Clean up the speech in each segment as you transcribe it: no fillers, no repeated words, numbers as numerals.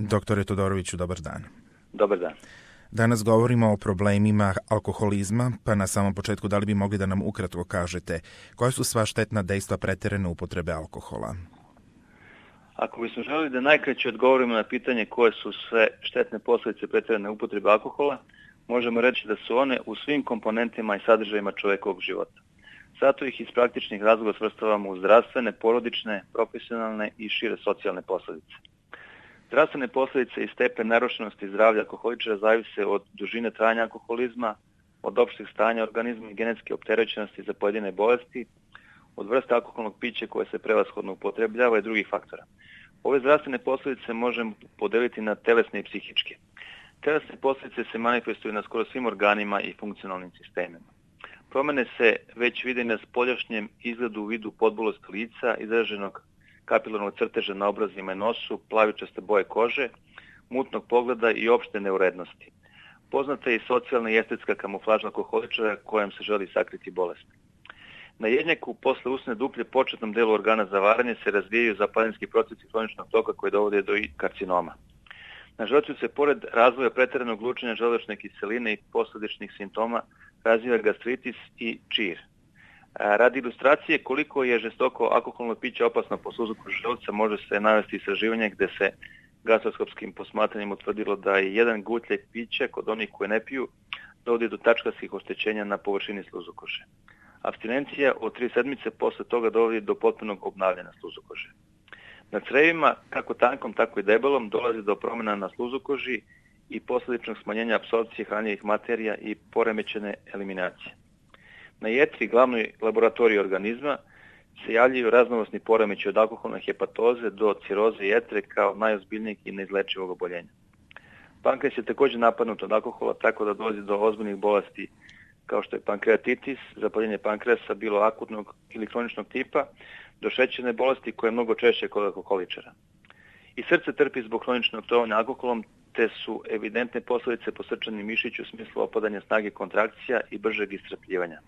Doktore Todoroviću, dobar dan. Dobar dan. Danas govorimo o problemima alkoholizma, pa na samom početku da li bi mogli da nam ukratko kažete koja su sva štetna dejstva preterane upotrebe alkohola? Ako bismo želeli da najkraće odgovorimo na pitanje koje su sve štetne posljedice preterane upotrebe alkohola, možemo reći da su one u svim komponentima i sadržajima čovjekovog života. Zato ih iz praktičnih razloga svrstavamo u zdravstvene, porodične, profesionalne i šire socijalne posljedice. Zdravstvene posljedice i stepen narušenosti zdravlja alkoholičara zavise od dužine trajanja alkoholizma, od opšteg stanja organizma i genetske opterećenosti za pojedine bolesti, od vrste alkoholnog pića koje se prevashodno upotrebljava i drugih faktora. Ove zdravstvene posljedice možemo podeliti na telesne i psihičke. Telesne posljedice se manifestuju na skoro svim organima i funkcionalnim sistemima. Promjene se već vide na spoljašnjem izgledu u vidu podbolosti lica, izraženog kapilarnog crteža na obrazima i nosu, plavičaste boje kože, mutnog pogleda i opšte neurednosti. Poznata je i socijalna i estetska kamuflaža alkoholičara kojom se želi sakriti bolest. Na jednjaku, posle usne duplje, početnom delu organa za varanje se razvijaju zapaljenski procesi kroničnog toka koji dovode do karcinoma. Na želucu se, pored razvoja pretjeranog lučenja želučne kiseline i posljedičnih simptoma, razvija gastritis i čir. Radi ilustracije koliko je žestoko alkoholno piće opasno po sluzniku želuca može se navesti istraživanje gdje se gastroskopskim posmatranjem utvrdilo da je jedan gutljaj pića kod onih koji ne piju dovodi do tačkastih oštećenja na površini sluzokoše. Apstinencija od 3 sedmice posle toga dovodi do potpunog obnavljanja sluzokože. Na crevima, kako tankom, tako i debelom, dolazi do promjena na sluzokoži i posljedičnog smanjenja apsorpcije hranjivih materija i poremećene eliminacije. Na jetri, glavnoj laboratoriji organizma, se javljaju raznovrsni poremeći od alkoholne hepatoze do ciroze jetre kao najozbiljnijeg i neizlečivog oboljenja. Pankreas je također napadnut od alkohola tako da dolazi do ozbiljnih bolesti kao što je pankreatitis, zapaljenje pankreasa bilo akutnog ili kroničnog tipa, do šećerne bolesti koje je mnogo češće kod alkoholičara. I srce trpi zbog kroničnog trovanja alkoholom, te su evidentne posljedice po srčanom mišiću u smislu opadanja snage kontrakcija i bržeg iscrpljivanja.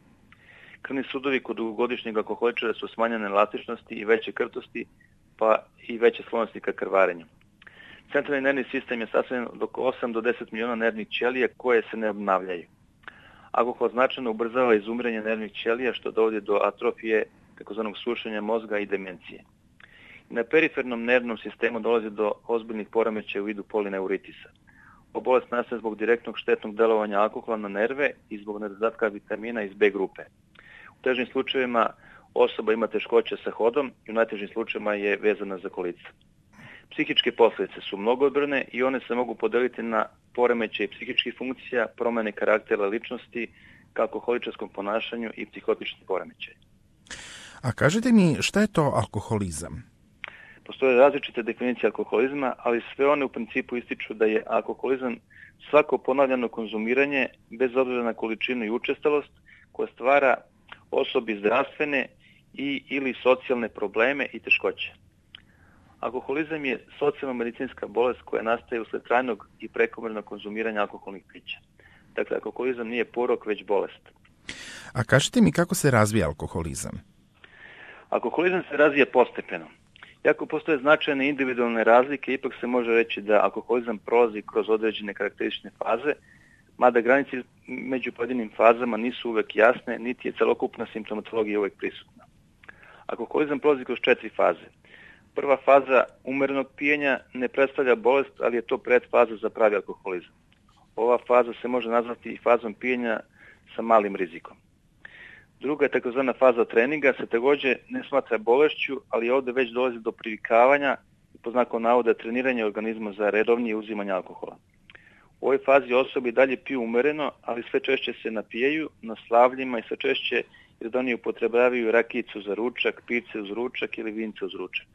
Krvni sudovi kod dugogodišnjeg alkoholičara su smanjene elastičnosti i veće krtosti, pa i veće sklonosti ka krvarenju. Centralni nervni sistem je sastavljen od oko 8 do 10 miliona nervnih ćelija koje se ne obnavljaju. Alkohol značajno ubrzava izumiranje nervnih ćelija što dovodi do atrofije, takozvanog sušenja mozga i demencije. Na perifernom nervnom sistemu dolazi do ozbiljnih poremećaja u vidu polineuritisa. Ova bolest nastaje zbog direktnog štetnog delovanja alkohola na nerve i zbog nedostatka vitamina iz B grupe. U težim slučajevima osoba ima teškoće sa hodom i u najtežim slučajevima je vezana za kolica. Psihičke posljedice su mnogobrojne i one se mogu podeliti na poremećaj psihičkih funkcija, promjene karaktera ličnosti, ka alkoholičarskom ponašanju i psihotični poremećaj. A kažete mi, šta je to alkoholizam? Postoje različite definicije alkoholizma, ali sve one u principu ističu da je alkoholizam svako ponavljano konzumiranje, bez obzira na količinu i učestalost, koja stvara osobi zdravstvene i ili socijalne probleme i teškoće. Alkoholizam je socijalno-medicinska bolest koja nastaje usled trajnog i prekomjernog konzumiranja alkoholnih pića. Dakle, alkoholizam nije porok, već bolest. A kažete mi kako se razvija alkoholizam? Alkoholizam se razvija postepeno. Iako postoje značajne individualne razlike, ipak se može reći da alkoholizam prolazi kroz određene karakteristične faze, mada granice među pojedinim fazama nisu uvek jasne, niti je celokupna simptomatologija uvek prisutna. Alkoholizam prolazi kroz 4 faze. Prva faza umerenog pijenja ne predstavlja bolest, ali je to predfaza za pravi alkoholizam. Ova faza se može nazvati i fazom pijenja sa malim rizikom. Druga je takozvana faza treninga, se također ne smatra bolešću, ali ovdje već dolazi do privikavanja i po znakom navoda treniranja organizma za redovnije uzimanje alkohola. U ovoj fazi osobi dalje piju umereno, ali sve češće se napijaju na slavljima i sve češće jer oni upotrebljavaju rakijicu za ručak, pice uz ručak ili vince uz ručak.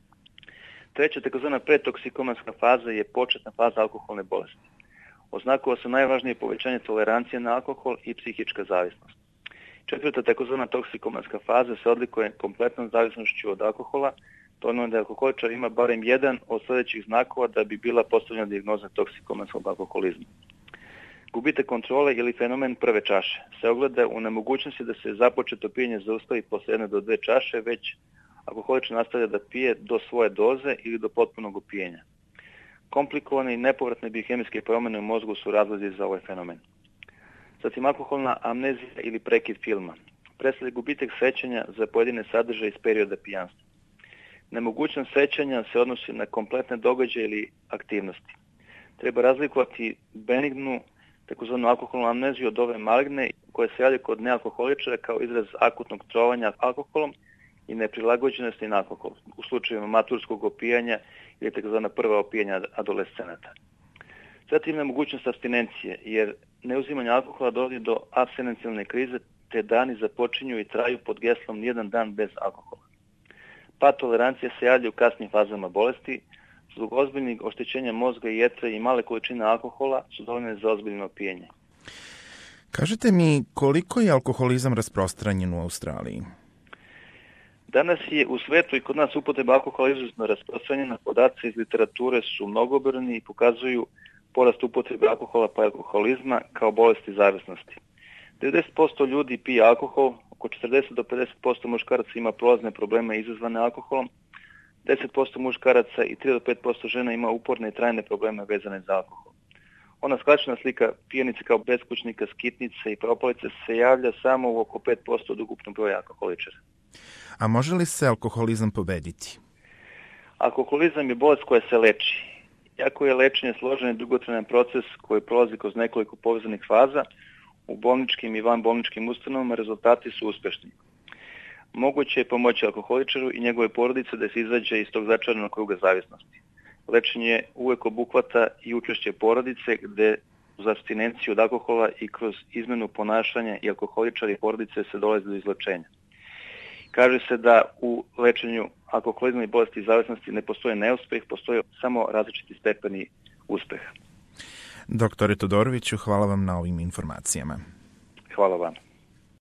Treća takozvana predtoksikomanska faza je početna faza alkoholne bolesti. Oznakova se najvažnije povećanje tolerancije na alkohol i psihička zavisnost. Četvrta takozvana toksikomanska faza se odlikuje kompletnom zavisnošću od alkohola, to ono da alkoholičar ima barem jedan od sljedećih znakova da bi bila postavljena dijagnoza toksikomanskog alkoholizma. Gubitak kontrole ili fenomen prve čaše se ogleda u nemogućnosti da se započeto pijenje zaustavi posle 1 do 2 čaše, već alkoholičar nastavlja da pije do svoje doze ili do potpunog opijenja. Komplikovane i nepovratne biohemijske promjene u mozgu su razlozi za ovaj fenomen. Zatim alkoholna amnezija ili prekid filma. Predstavlja gubitak sećanja za pojedine sadržaje iz perioda pijanstva. Nemogućnost sećanja se odnosi na kompletne događaje ili aktivnosti. Treba razlikovati benignu, takozvanu alkoholnu amneziju od ove maligne koja se javlja kod nealkoholičara kao izraz akutnog trovanja alkoholom i neprilagođenosti na alkohol, u slučajevima maturskog opijanja ili takozvana prva opijanja adolescenata. Zatim nemogućnost abstinencije, jer neuzimanje alkohola dovodi do apstinencijalne krize, te dani započinju i traju pod geslom nijedan dan bez alkohola. Pad tolerancije se javlja u kasnim fazama bolesti, zbog ozbiljnih oštećenja mozga i jetre i male količine alkohola su dovoljne za ozbiljno opijanje. Kažite mi, koliko je alkoholizam rasprostranjen u Australiji? Danas je u svetu i kod nas upotreba alkohola izuzetno rasprostranjena. Podaci iz literature su mnogobrojni i pokazuju porast upotrebe alkohola pa alkoholizma kao bolesti zavisnosti. 90% ljudi pije alkohol, oko 40 do 50% muškaraca ima prolazne probleme izazvane alkoholom, 10% muškaraca i 3 do 5% žena ima uporne i trajne probleme vezane za alkohol. Ona skraćena slika pijanice kao beskućnika, skitnice i propalice se javlja samo u oko 5% od ukupnog broja alkoholičara. A može li se alkoholizam pobediti? Alkoholizam je bolest koja se leči. Iako je lečenje složen i dugotrajan proces koji prolazi kroz nekoliko povezanih faza, u bolničkim i vanbolničkim ustanovama rezultati su uspešni. Moguće je pomoći alkoholičaru i njegove porodice da se izađe iz tog začaranog kruga zavisnosti. Lečenje uvek obuhvata i učešće porodice gde uz apstinenciju od alkohola i kroz izmenu ponašanja i alkoholičari i porodice se dolazi do izlečenja. Kaže se da u lečenju alkoholizma i bolesti zavisnosti ne postoje neuspeh, postoje samo različiti stepeni uspeha. Doktore Todoroviću, hvala vam na ovim informacijama. Hvala vam.